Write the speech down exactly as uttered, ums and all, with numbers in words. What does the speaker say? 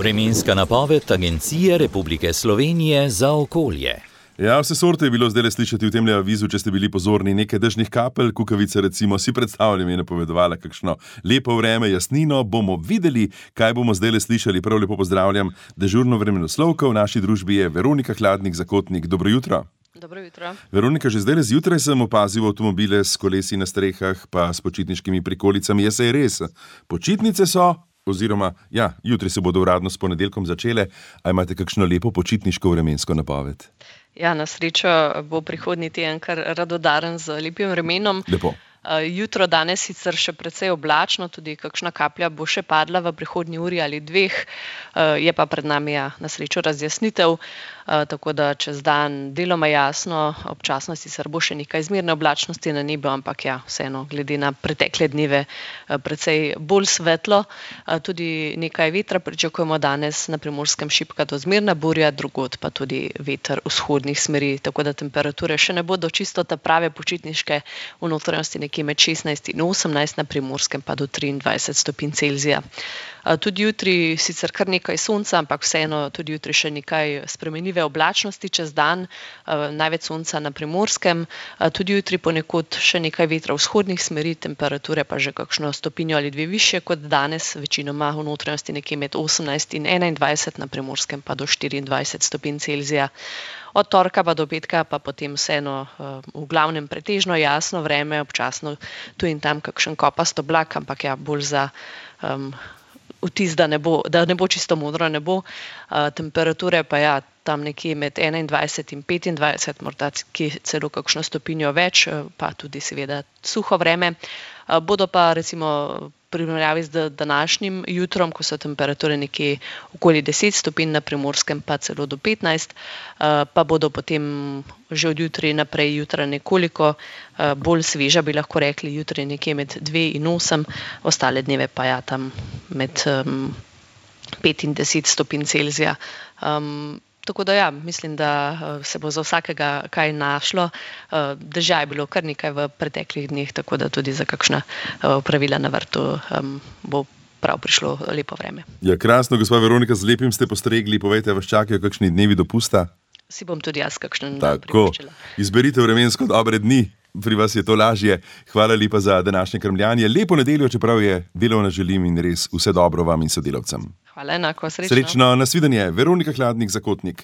Vremenska napoved Agencije Republike Slovenije za okolje. Ja, vse sorte je bilo zdaj slišati v tem avizu, če ste bili pozorni. Nekaj dežnih kapelj, kukavice recimo, si predstavljam, je napovedovala kakšno lepo vreme, jasnino. Bomo videli, kaj bomo zdaj slišali. Prav lepo pozdravljam dežurno vremenoslovko. V naši družbi je Veronika Hladnik-Zakotnik. Dobro jutro. Dobro jutro. Veronika, že zdaj zjutraj sem opazil avtomobile s kolesi na strehah, pa s počitniškimi prikolicami. Je se res. Počitnice so, oziroma, ja, jutri se bodo uradno s ponedeljkom začele. A imate kakšno lepo počitniško vremensko napoved? Ja, na srečo bo prihodnji teden kar radodaren z lepim vremenom. Lepo. Jutro danes sicer še precej oblačno, tudi kakšna kaplja bo še padla v prihodnji uri ali dveh, je pa pred nami ja, na srečo razjasnitev, tako da čez dan deloma jasno, občasno sicer bo še nekaj zmerne oblačnosti na nebu, ampak ja, vseeno, glede na pretekle dneve precej bolj svetlo. Tudi nekaj vetra pričakujemo danes na Primorskem, šibka do zmerna burja, drugod pa tudi veter vzhodnih smeri, tako da temperature še ne bodo čisto ta prave počitniške, v notranjosti nekje med šestnajst in osemnajst, na Primorskem pa do triindvajset stopinj Celzija. Tudi jutri sicer kar nekaj sonca, ampak vseeno tudi jutri še nekaj spremenljive oblačnosti čez dan, največ sonca na Primorskem, tudi jutri ponekod še nekaj vetra vzhodnih smeri, temperature pa že kakšno stopinjo ali dve višje kot danes, večinoma v notranjosti nekje med osemnajst in enaindvajset, na Primorskem pa do štiriindvajset stopinj Celzija. Od torka pa do petka pa potem vseeno v glavnem pretežno jasno vreme, občasno tu in tam kakšen kopast oblak, ampak ja, bolj za um, vtis, da ne bo, da ne bo čisto modro nebo. Uh, temperature pa ja, tam nekje med enaindvajset in petindvajset, morda celo kakšno stopinjo več, pa tudi seveda suho vreme. Uh, bodo pa recimo primerjavi z današnjim jutrom, ko so temperature nekje okoli deset stopinj, na Primorskem pa celo do petnajst, pa bodo potem že od jutri naprej jutra nekoliko bolj sveža, bi lahko rekli, jutri nekje med dve in osem, ostale dneve pa ja tam med pet in deset stopinj Celzija. Um, Tako da ja, mislim, da se bo za vsakega kaj našlo. Dežja je bilo kar nekaj v preteklih dneh, tako da tudi za kakšna opravila na vrtu um, bo prav prišlo lepo vreme. Ja, krasno, gospa Veronika, z lepim ste postregli. Povejte, vas čakajo kakšni dnevi dopusta? Si bom tudi jaz kakšen dan Tako, pripričala. Izberite vremensko dobre dni. Pri vas je to lažje. Hvala lepa za današnje krmljanje. Lepo nedeljo, čeprav je delovna, želim in res vse dobro vam in sodelavcem. Hvala, enako, srečno. Srečno, nasvidenje. Veronika Hladnik-Zakotnik.